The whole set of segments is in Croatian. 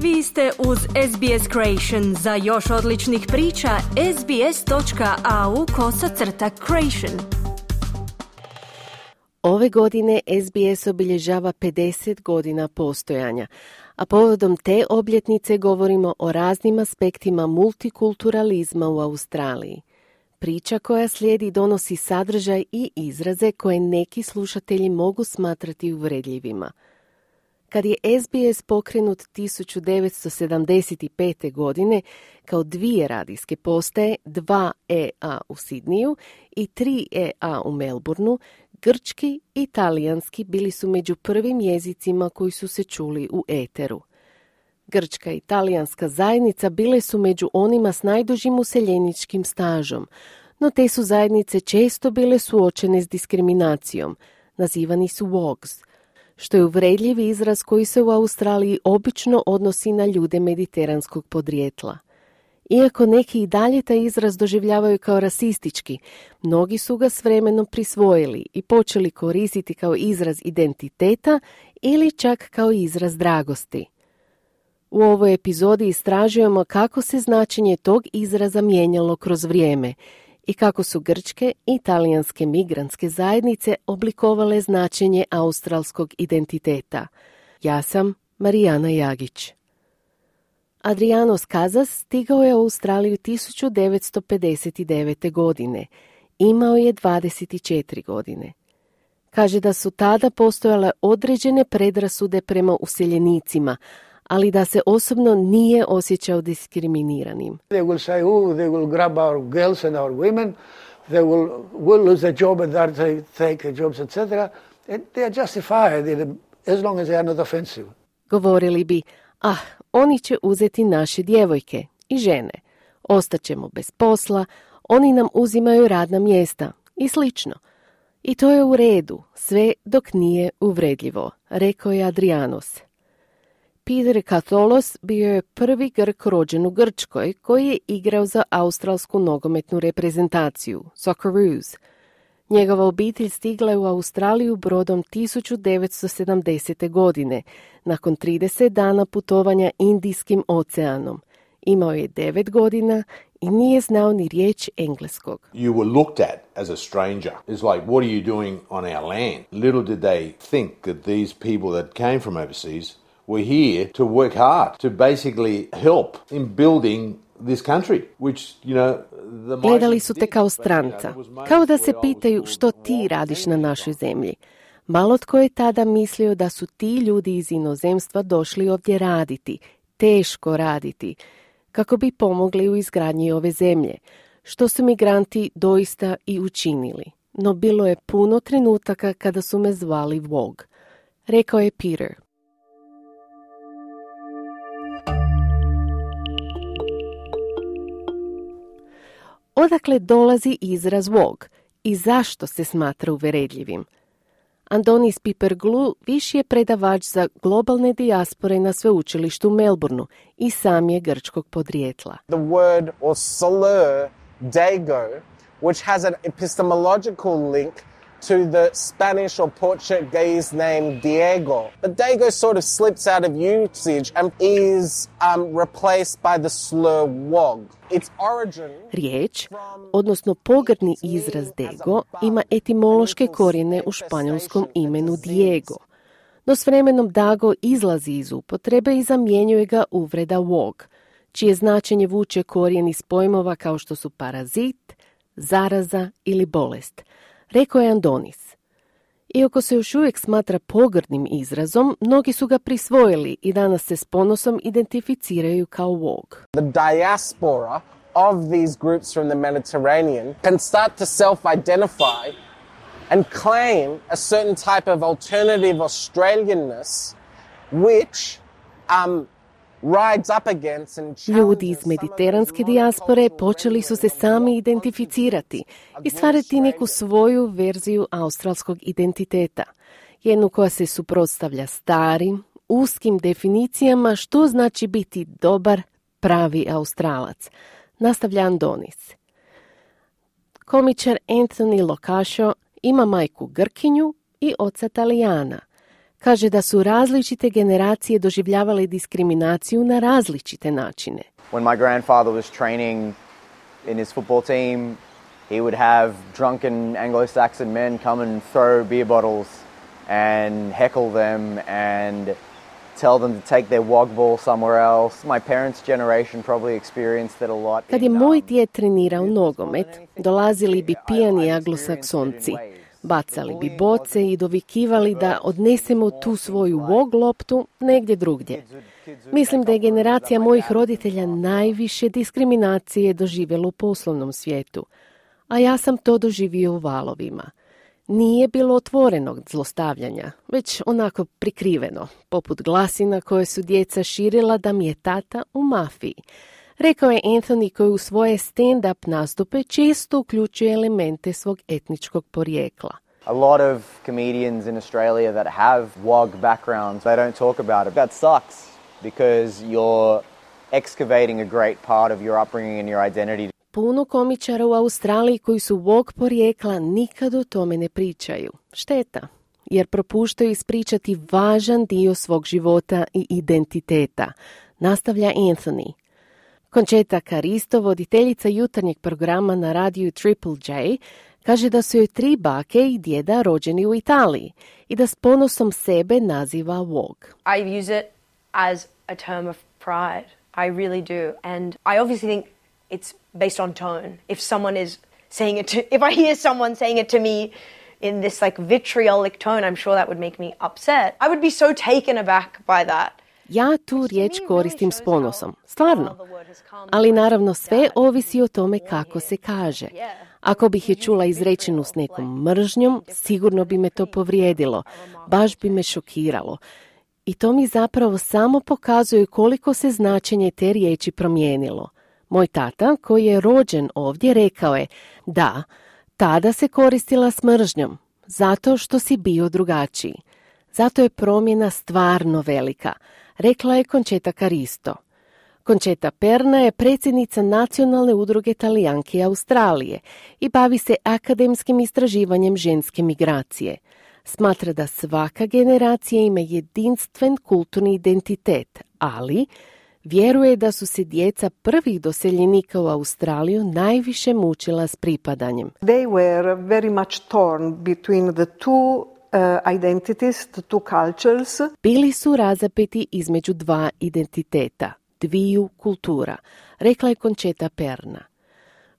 Vi ste uz SBS Creation. Za još odličnih priča, sbs.au/creation. Ove godine SBS obilježava 50 godina postojanja, a povodom te obljetnice govorimo o raznim aspektima multikulturalizma u Australiji. Priča koja slijedi donosi sadržaj i izraze koje neki slušatelji mogu smatrati uvredljivima. Kad je SBS pokrenut 1975. godine kao 2 radijske postaje, 2 EA u Sidniju i 3 EA u Melbourneu, grčki i talijanski bili su među prvim jezicima koji su se čuli u eteru. Grčka i talijanska zajednica bile su među onima s najdužim useljeničkim stažom, no te su zajednice često bile suočene s diskriminacijom, nazivani su wogs, što je uvredljiv izraz koji se u Australiji obično odnosi na ljude mediteranskog podrijetla. Iako neki i dalje taj izraz doživljavaju kao rasistički, mnogi su ga s vremenom prisvojili i počeli koristiti kao izraz identiteta ili čak kao izraz dragosti. U ovoj epizodi istražujemo kako se značenje tog izraza mijenjalo kroz vrijeme i kako su grčke i talijanske migrantske zajednice oblikovale značenje australskog identiteta. Ja sam Marijana Jagić. Adriano Skazas stigao je u Australiju 1959. godine. Imao je 24 godine. Kaže da su tada postojale određene predrasude prema useljenicima, ali da se osobno nije osjećao diskriminiranim. They will say, they will grab our girls and our women, they will lose their job and they take jobs, etc. And they are justified as long as they are not offensive. Govorili bi, oni će uzeti naše djevojke i žene. Ostaćemo bez posla, oni nam uzimaju radna mjesta i slično. I to je u redu, sve dok nije uvredljivo, rekao je Adrianos. Peter Katholos bio je prvi Grk rođen u Grčkoj koji je igrao za australsku nogometnu reprezentaciju, Socceroos. Njegova obitelj stigla je u Australiju brodom 1970. godine, nakon 30 dana putovanja Indijskim oceanom. Imao je 9 godina i nije znao ni riječ engleskog. You were looked at as a stranger. It's like, what are you doing on our land? Little did they think that these people that came from overseas were here to work hard, to basically help in building this country, which, Gledali su te kao stranca, kao da se pitaju što ti radiš na našoj zemlji. Malo tko je tada mislio da su ti ljudi iz inozemstva došli ovdje raditi, teško raditi, kako bi pomogli u izgradnji ove zemlje, što su migranti doista i učinili. No bilo je puno trenutaka kada su me zvali Wog, rekao je Peter. Odakle dolazi izraz Wog i zašto se smatra uvredljivim? Andonis Piperglu viši je predavač za globalne dijaspore na sveučilištu u Melbourneu i sam je grčkog podrijetla. The word or slur dago, which has an epistemological link to the Spanish or Portuguese name Diego. But dago sort of slips out of usage and is replaced by the slur wog. Its origin... Riječ, odnosno pogrdni izraz dego, ima etimološke korijene u španjolskom imenu Diego. No s vremenom dago izlazi iz upotrebe i zamjenjuje ga uvreda wog, čije značenje vuče korijen iz pojmova kao što su parazit, zaraza ili bolest, rekao je Andonis. Iako se još uvijek smatra pogrdnim izrazom, mnogi su ga prisvojili i danas se s ponosom identificiraju kao wog. The diaspora of these groups from the Mediterranean can start to self-identify and claim a certain type of alternative Australianness which rides up against and ljudi iz mediteranske dijaspore počeli su se sami identificirati i stvarati neku svoju verziju australskog identiteta, jednu koja se suprotstavlja starim, uskim definicijama što znači biti dobar, pravi Australac, nastavlja Andonis. Komičar Anthony Locascio ima majku Grkinju i oca Talijana. Kaže da su različite generacije doživljavale diskriminaciju na različite načine. When my grandfather was training in his football team, he would have drunken Anglo-Saxon men come and throw beer bottles and heckle them and tell them to take their wog ball somewhere else. My parents' generation probably experienced that a lot. Kad je moj djed trenirao nogomet, dolazili bi pijani anglosaksonci, bacali bi boce i dovikivali da odnesemo tu svoju wog loptu negdje drugdje. Mislim da je generacija mojih roditelja najviše diskriminacije doživjela u poslovnom svijetu, a ja sam to doživio u valovima. Nije bilo otvorenog zlostavljanja, već onako prikriveno, poput glasina koje su djeca širila da mi je tata u mafiji. Rekao je Anthony, koji u svoje stand-up nastupe često uključuje elemente svog etničkog porijekla. A lot of comedians in Australia that have WOG backgrounds, they don't talk about it. That sucks because you're excavating a great part of your upbringing and your identity. Puno komičara u Australiji koji su WOG porijekla nikad o tome ne pričaju. Šteta, jer propuštaju ispričati važan dio svog života i identiteta, nastavlja Anthony. Concheta Caristo, voditeljica jutarnjeg programa na radiju Triple J, kaže da su joj 3 bake i djeda rođeni u Italiji i da s ponosom sebe naziva WOG. I use it as a term of pride. I really do. And I obviously think it's based on tone. If someone is saying it if I hear someone saying it to me in this like vitriolic tone, I'm sure that would make me upset. I would be so taken aback by that. Ja tu riječ koristim s ponosom, stvarno. Ali naravno sve ovisi o tome kako se kaže. Ako bih je čula izrečenu s nekom mržnjom, sigurno bi me to povrijedilo, baš bi me šokiralo. I to mi zapravo samo pokazuje koliko se značenje te riječi promijenilo. Moj tata, koji je rođen ovdje, rekao je, da, tada se koristila s mržnjom, zato što si bio drugačiji. Zato je promjena stvarno velika, rekla je Concheta Caristo. Concheta Perna je predsjednica Nacionalne udruge Talijanki Australije i bavi se akademskim istraživanjem ženske migracije. Smatra da svaka generacija ima jedinstven kulturni identitet, ali vjeruje da su se djeca prvih doseljenika u Australiju najviše mučila s pripadanjem. They were very much torn between the two identities, the two cultures. Bili su razapeti između 2 identiteta, 2 kultura, rekla je Concheta Perna.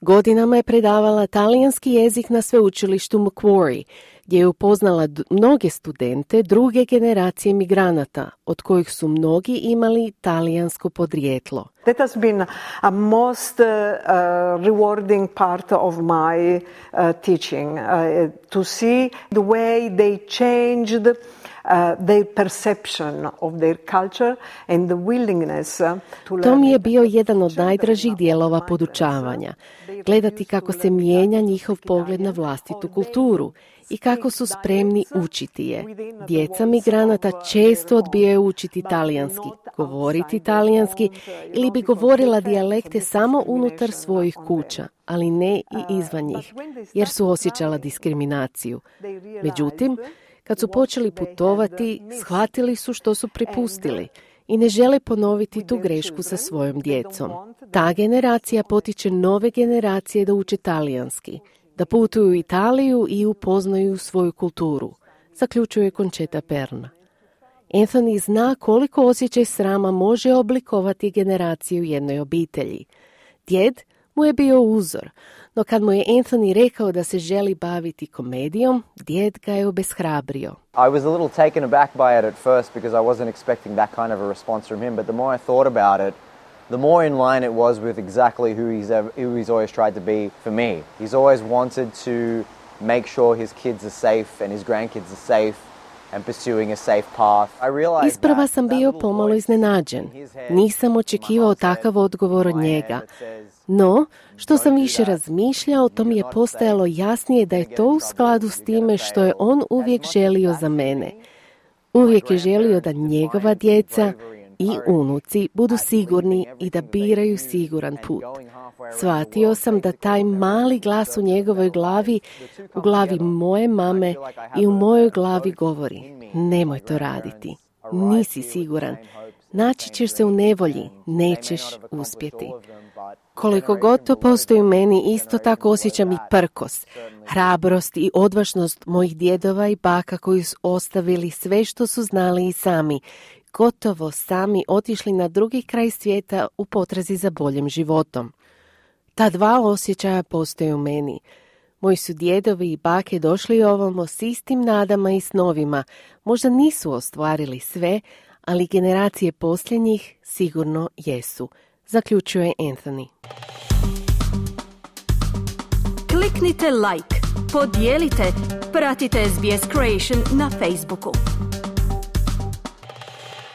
Godinama je predavala talijanski jezik na sveučilištu Macquarie, gdje je upoznala mnoge studente druge generacije migranata, od kojih su mnogi imali talijansko podrijetlo. That has been a most rewarding part of my teaching, to see the way they changed their perception of their culture and the willingness to learn. To mi je bio jedan od najdražih dijelova podučavanja. Gledati kako se mijenja njihov pogled na vlastitu kulturu i kako su spremni učiti je. Djeca migranata često odbijaju učiti talijanski, govoriti talijanski ili bi govorila dijalekte samo unutar svojih kuća, ali ne i izvan njih, jer su osjećala diskriminaciju. Međutim, kad su počeli putovati, shvatili su što su prepustili i ne žele ponoviti tu grešku sa svojom djecom. Ta generacija potiče nove generacije da uče talijanski, da putuju u Italiju i upoznaju svoju kulturu, zaključuje Concheta Perna. Anthony zna koliko osjećaj srama može oblikovati generaciju jednoj obitelji. Djed mu je bio uzor, no kad mu je Anthony rekao da se želi baviti komedijom, djed ga je obeshrabrio. I was a little taken aback by it at first because I wasn't expecting that kind of a response from him, but the more I thought about it, the more in line it was with exactly who he's always tried to be for me. He's always wanted to make sure his kids are safe and his grandkids are safe and pursuing a safe path. Isprva sam bio pomalo iznenađen. Nisam očekivao takav odgovor od njega. No, što sam više razmišljao, to mi je postajalo jasnije da je to u skladu s time što je on uvijek želio za mene. Uvijek je želio da njegova djeca i unuci budu sigurni i da biraju siguran put. Shvatio sam da taj mali glas u njegovoj glavi, u glavi moje mame i u mojoj glavi govori: nemoj to raditi, nisi siguran, naći ćeš se u nevolji, nećeš uspjeti. Koliko god to postoji u meni, isto tako osjećam i prkos, hrabrost i odvažnost mojih djedova i baka koji su ostavili sve što su znali i sami, gotovo sami otišli na drugi kraj svijeta u potrazi za boljim životom. Ta dva osjećaja postoje u meni. Moji su djedovi i bake došli ovamo s istim nadama i snovima. Možda nisu ostvarili sve, ali generacije posljednjih sigurno jesu, zaključuje Anthony. Kliknite like, podijelite, pratite SBS Creation na Facebooku.